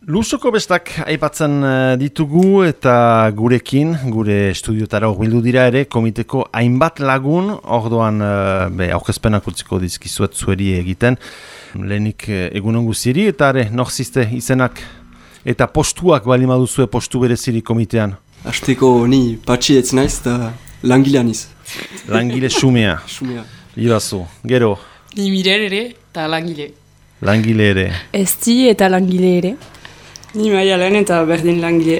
Lusoko bestak aipatzen ditugu eta gurekin, gure estudiotara hurbildu dira ere, komiteko hainbat lagun, ordoan aurkezpenak utziko dizkizuet zueri egiten, lehenik egunon guziri, eta ere, norzizte izenak eta postuak bali maduzue postu bereziri komitean? Azteko ni patxi ez naiz eta langilea niz. Langile xumea. Xumea. Irazu, gero? Ni mirer ere eta langile. Langile ere. Esti eta langile ere. Ni Maialen eta berdin langile.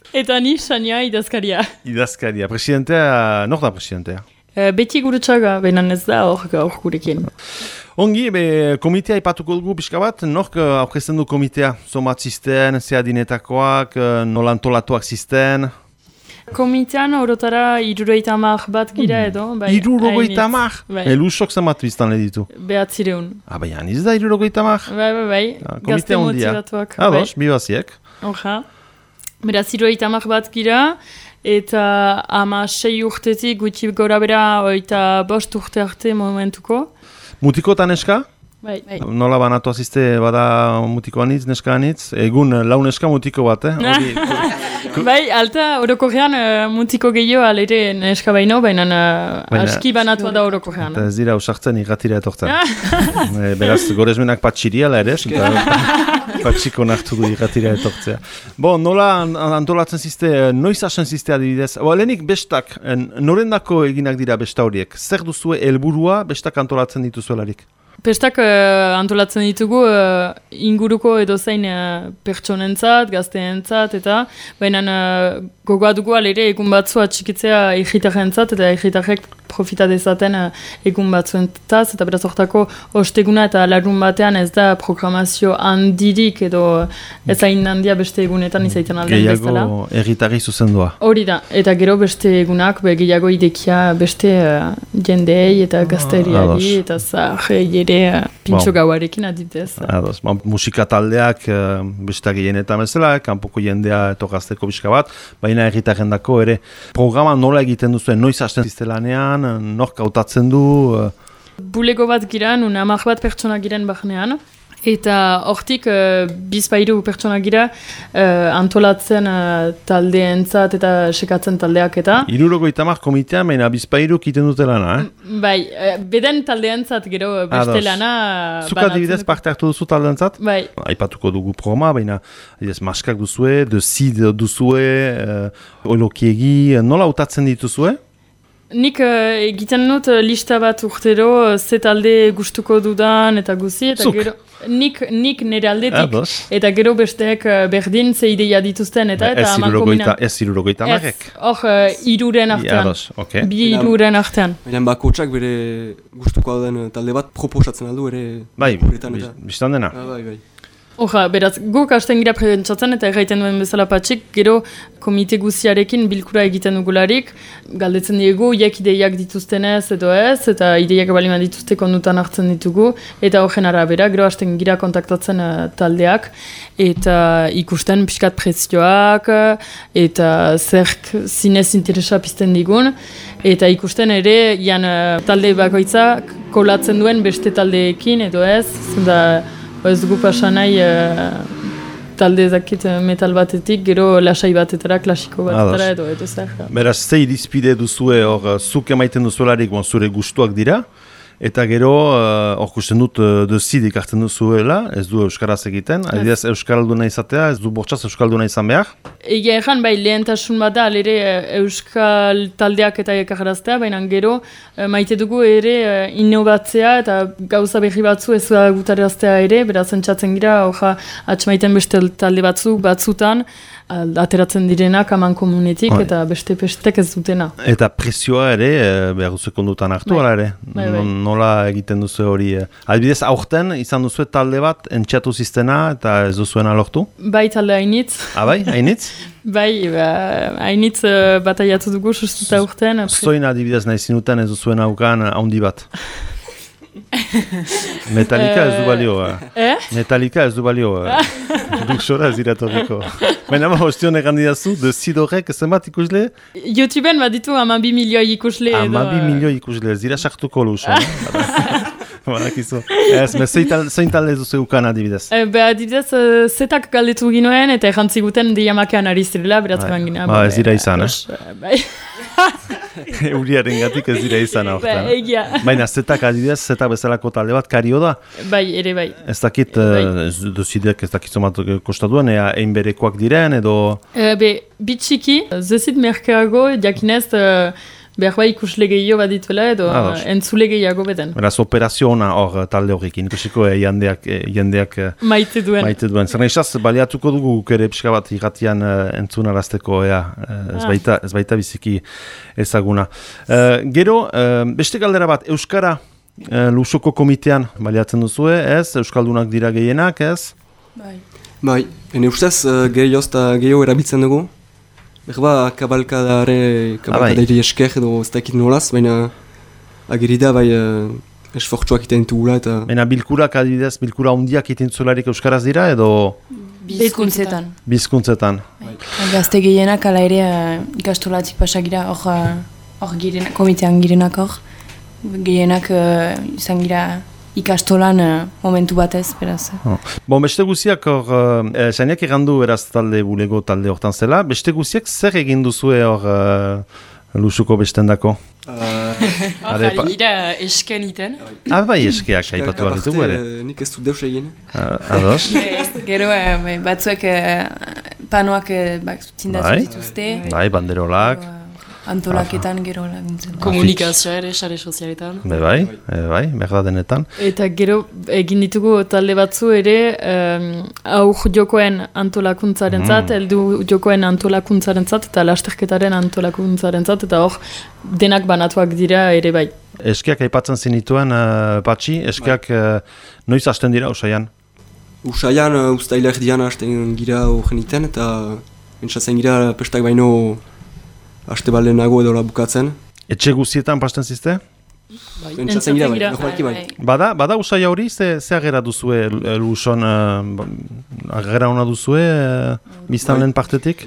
Eta ni Xania idazkaria. Idazkaria. Presidentea, nor da presidentea? Beti gurutxaga, benan ez da hor gurekin. Ongi, komitea ipatuko dugu pixka bat, nork aurkezten du komitea? Somat zisten, zeadinetakoak, nolantolatuak zisten? Komitean orotara 70 bat gira edo. 70? Elusok zenbat biztan ditu? 900. Baina, niz da 70? Bai. Gazte motivatuak. Ados, bibaziek. Oja. Beraz, 70 bat gira, eta 6 urtetik gutxi gora bera, eta 5 urte arte momentuko. Mutikotan eska? Bai. Nola banatu azizte bada mutiko anitz, neska anitz? Egun lau neska mutiko bat, Bai, alta orokorrean mutiko gehiago alere neska baino, baina aski banatua da orokorrean. Eta ez dira usartzen irratira etortzen. Beraz, gorezmenak patxiriala ere, patxiko nartu du irratira etortzea. Nola antolatzen zizte, noiz hasen zizte adibidez? Lehenik bestak, norendako eginak dira besta horiek? Zer duzue helburua bestak antolatzen dituzuelarik? Pestak antolatzen ditugu inguruko edozein pertsonentzat, gazteentzat, eta baina gogoa dugu alere egun batzu atxikitzea egitarentzat, eta egitarek profita dezaten egun batzuentaz, eta beraz hortako osteguna eta larun batean ez da programazio handirik edo ez hain handia beste egunetan izaiten alden bezala. Gehiago egitarri zuzendua. Hori da, eta gero beste egunak gehiago idekia beste jendei eta gazteriari eta zaharrei ere pintxo gauarekin adibidez. Musika taldeak beste gehienetan bezala, kanpoko jendea eto gazteko bizka bat, baina egitarrendako ere programa nola egiten duzuen, noiz hasten ziztelanean, nork hautatzen du? Bulego bat gira, nun 10 bat pertsona giren bahnean, eta hortik bizpairu pertsona gira antolatzen taldeentzat eta sekatzen taldeak eta. 70 komitean, baina bizpairu kiten dute lana, Bai, beden taldeentzat gero beste lana. Zuka adibidez parte hartu duzu taldeentzat? Bai. Aipatuko dugu programa, baina maskak duzue, de sid duzue, olokiegi, nola hautatzen dituzue? Nik egiten dut lista bat urtero, ze talde gustuko dudan eta guzi, eta gero nik nire aldetik, eta gero besteek berdin ze ideia dituzten, eta amankomina. Ez 70 marek? Hor, 3 artean. Bi 3 artean. Baina bakotsak bere gustuko den talde bat proposatzen aldu ere. Bai, biztan dena. Bai. Oja, beraz, guk hasten gira presentzatzen eta erraiten duen bezala patxik, gero komite guziarekin bilkura egiten dugularik, galdetzen diegu, ideiak dituztenez edo ez, eta ideiak balima dituzte kondutan hartzen ditugu, eta horren arabera, gero hasten gira kontaktatzen taldeak, eta ikusten pixkat prezioak, eta zerk zinez interesa pizten digun, eta ikusten ere, talde bakoitzak kolatzen duen beste taldeekin edo ez, zenda, ez dugu pasan nahi talde zakit metal batetik, gero lasai batetara, klasiko batetara edo zer. Beraz, ze irizpide duzue hor zuk emaiten duzuelarik zure gustuak dira, eta gero hor kusten dut dezid hartzen duzuela, ez du euskaraz egiten, adibidez euskalduna izatea, ez du bortxaz euskalduna izan behar? Egia erran, bai, lehentasun bat da, alere euskal taldeak eta ekarraztea, baina gero maite dugu ere innovatzea eta gauza berri batzu ez gutaraztea ere, beraz entzatzen gira, hoja atxamaiten beste talde batzutan, ateratzen direnak aman komunetik eta beste pestek ez dutena. Eta prezioa ere, behar duzu kondutan hartu, ala ere? Nola egiten duzu hori? Adibidez, aurten izan duzu talde bat entxatu ziztena eta ez duzuena lortu? Bai, talde hainitz. Bai, hainitz? Bai, hainitz bataiatu dugu sustuta aurten. Zoin adibidez nahi zinuten ez duzuena aukan handi bat? Metallica ez du balio. Metallica ez du balio. Duk sora ez iratorriko. Baina ostion egandidazu, de Sidorek zenbat ikusle? YouTubeen baditu 12 milioi ikusle. 12 milioi ikusle, ez dira sartuko luso. Badakizu. Ez, zein talde duzu eukan adibidez? Adibidez, zetak galdetu ginoen eta errantziguten diamakean ari zirela, beraz egan gina. Ez dira izan, Bai. Euriaren gatik ez dira izan aurten. Egia. Baina zetak adibidez, zetak bezalako talde bat kario da? Bai, ere bai. Ez dakit, duzidek ez dakit zomat kostaduen, egin berekoak diren edo... Bitxiki, zezit merkeago, jakinez, behar bai ikusle gehiago bat dituela edo entzule gehiago beten. Beraz, operazio ona hor talde horrekin, ikusiko jendeak maite duen. Zer nahizaz, baliatuko dugu guk ere pixka bat irratian entzunarazteko, ez baita biziki ezaguna. Gero, beste galdera bat, Euskara Lusoko komitean baliatzen duzue, ez? Euskaldunak dira gehienak, ez? Bai, ene ustez gehioz eta gehiago erabiltzen dugu. Berba, kabalkadaire esker edo ez dakit nolaz, baina ageri da bai esfortzuak iten dugula eta... Baina bilkurak adibidez, bilkura hundiak iten zularik euskaraz dira edo... Bizkuntzetan. Bizkuntzetan. Gazte gehienak ala ere ikastolatik pasagira, hor komitean girenak hor. Gehienak izan gira ikastolan momentu batez, beraz. Bon, beste guziak hor, sainak egandu beraz talde bulego talde hortan zela, beste guziak zer egin duzue hor Lusuko bestendako? Gira esken iten. Bai, eskeak aipatu behar ditugu ere. Nik ez dut deus egin. Ados? Gero batzuek panoak zindatu dituzte. Bai, banderolak. Antolaketan gero laguntzen. Komunikazioa ere, sare sozialetan. Bai, behar da denetan. Eta gero egin ditugu talde batzu ere aur jokoen antolakuntzaren zat, heldu jokoen antolakuntzaren zat, eta lasterketaren antolakuntzaren zat, eta hor denak banatuak dira ere bai. Eskeak aipatzen zinituen, Patxi, eskeak noiz hasten dira Usaian? Usaian ustaila erdian hasten gira horreniten, eta entzatzen gira pestak baino haste balenago edo bukatzen. Etxe guztietan pasten zizte? Entzatzen gira bai. Bada usaia hori, ze agera duzue Luson, agera hona duzue biztanleen partetik?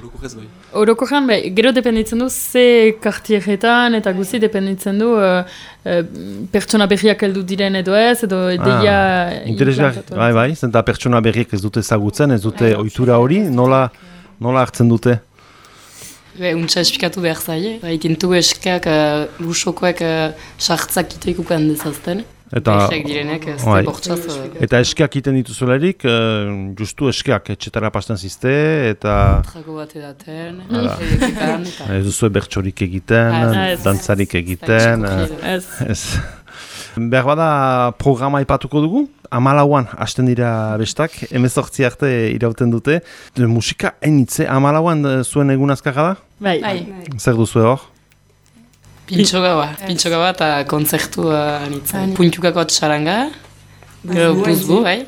Orokorrean, gero dependitzen du ze kartieretan eta guzti dependitzen du pertsona berriak heldu diren edo ez, edo deia... Interesgarri, bai, zenta pertsona berriak ez dute ezagutzen, ez dute ohitura hori, nola hartzen dute? Untsa espikatu behar zaie. Itentu eskeak Lusokoek sartzak iteikukan dezazten. Eta direnek, eta eskeak iten dituzularik, justu eskeak etxetara pasten zizte, eta... Trago bat edaten, ez duzue bertsorik egiten, dantzarik egiten... Behar bada programa ipatuko dugu, 14an hasten dira bestak, 18 arte irauten dute. Musika hainitze, 14an zuen egun azkarra da? Bai. Zer duzue hor? Pintxogaua eta kontzertu anitzen. Puntukako txaranga, gero buzbu, bai?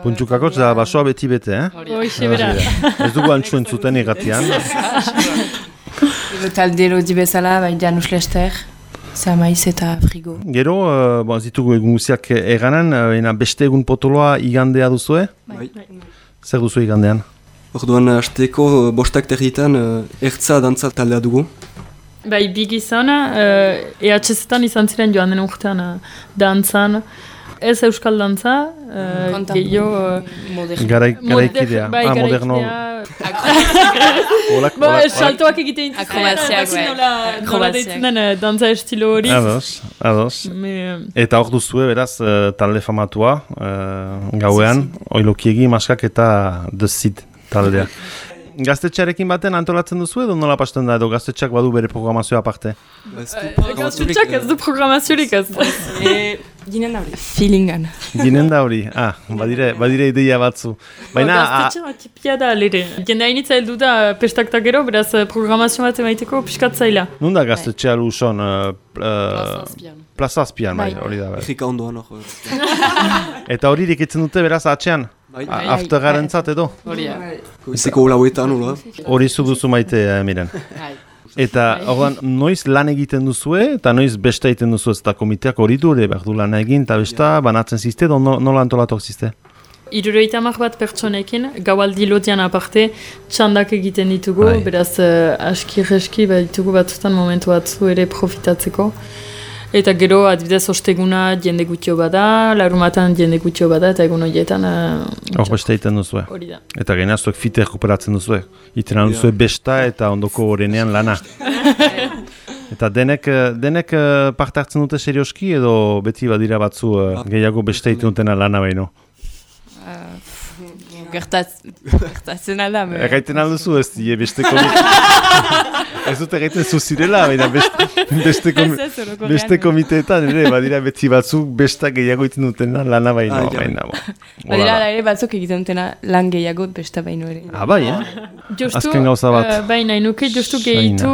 Puntukako da basoa beti-bete, Hoxe bera. Ez dugu antzuen zuten irratian. Talde lodi bezala, Janus Lester. Zamaiz eta frigo. Gero, zitugu egun guziak eganen, beste egun potoloa igandea duzue? Bai. Zer duzu igandean? Orduan, hasteko bostak territan ertza dantza taldea dugu. Bai, bigizan, EHZ-etan izan ziren joan den urtean dantzan. Ez euskal dantza, gehiago... Garaikidea, moderno... Saltoak egiten nola deitzen den dantza estilo hori. Ados. Eta hor duzue, beraz, talde famatua, gauean, oilokiegi, maskak eta The Seed taldea. Gaztetxearekin baten antolatzen duzu edo nola pasten da, edo gaztetxeak badu bere programazioa aparte? Gaztetxeak ez du programaziorik ez. Ginen da hori. Feelingan. Ginen da hori, badire ideia batzu. Gaztetxeak tipia da alere. Jende hainitza heldu da pestak gero, beraz programazio bat emaiteko piskat zaila. Nunda gaztetxea Luson? Plaza Azpian, bai, hori da. Errika ondoan hor. Eta hori dikitzen dute beraz atxean? Aftergaren zat edo? Izeko lauetan, hola? Hori zu duzu maite, miren. Eta orduan, noiz lan egiten duzue, eta noiz besta egiten duzu ez eta komiteak hori dure, behar du lan egin, eta besta banatzen zizte, edo nola antolatok zizte? 70 bat pertsonekin, gaualdi lotian aparte, txandak egiten ditugu, beraz aski-reski ditugu batzutan momentu batzu ere profitatzeko. Eta gero, adibidez, osteguna jende gutxo bada, larumatan jende gutxo bada, eta egun horietan... Hor beste egiten duzue. Hori da. Eta genaztuek fite rekuperatzen duzue. Iten duzue besta eta ondoko horrenean lana. Eta denek parte hartzen dute serioski edo beti badira batzu gehiago beste egiten dutena lana baino? Gertatzen alda. Erraiten alduzu ez die beste komite. Ez dut erraiten zuzirela, baina beste komiteetan, ere, badira beti batzuk besta gehiago egiten dutena lana baino. Badira ere batzuk egiten dutena lan gehiago besta baino ere. Bai, azken gauza bat. Baina, inuke jostu gehitu,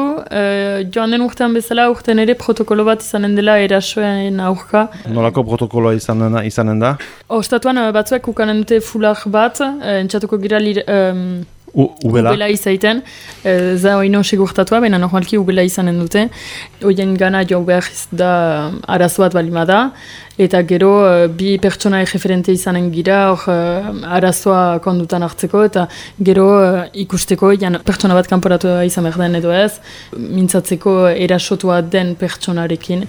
joan den urtean bezala, urtean ere protokolo bat izanen dela erasoen aurka. Nolako protokoloa izanen da? Ostatuan batzuek ukanen dute fular bat, entzatuko gira ubela izaiten, za oino segurtatua, baina normalki ubela izanen dute. Oien gana jo behar da arazo bat balima da, eta gero bi pertsona referente izanen gira, arazoa kondutan hartzeko, eta gero ikusteko, pertsona bat kanporatu izan behar den edo ez, mintzatzeko erasotua den pertsonarekin,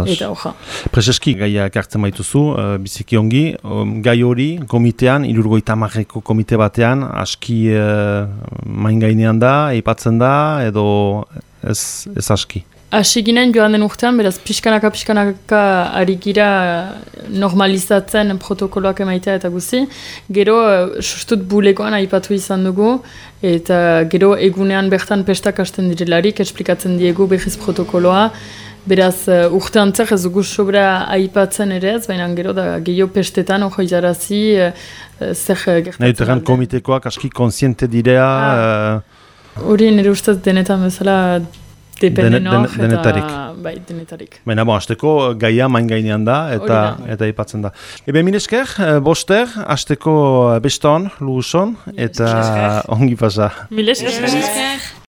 eta hoja. Prezeski gaia kartzen baituzu, biziki ongi, gai hori komitean, 70ko komite batean, aski main gainean da, eipatzen da, edo ez aski. Asi ginen joan den urtean, beraz pixkanaka ari gira normalizatzen protokoloak emaitea eta guzi. Gero, sustut bulegoan aipatu izan dugu, eta gero egunean bertan pestak hasten direlarik, esplikatzen diegu behiz protokoloa. Beraz, urtean zer ez dugu sobra aipatzen ere ez, baina gero da gehiago pestetan hori jarazi zer gertatzen. Nahi duteran komitekoak aski konsiente direa? Hori nire ustez denetan bezala denetarik. Bai, denetarik. Baina, hasteko gaia main gainean da, eta aipatzen da. Mil esker, boster, hasteko beston, luguson, eta ongi pasa. Mil esker.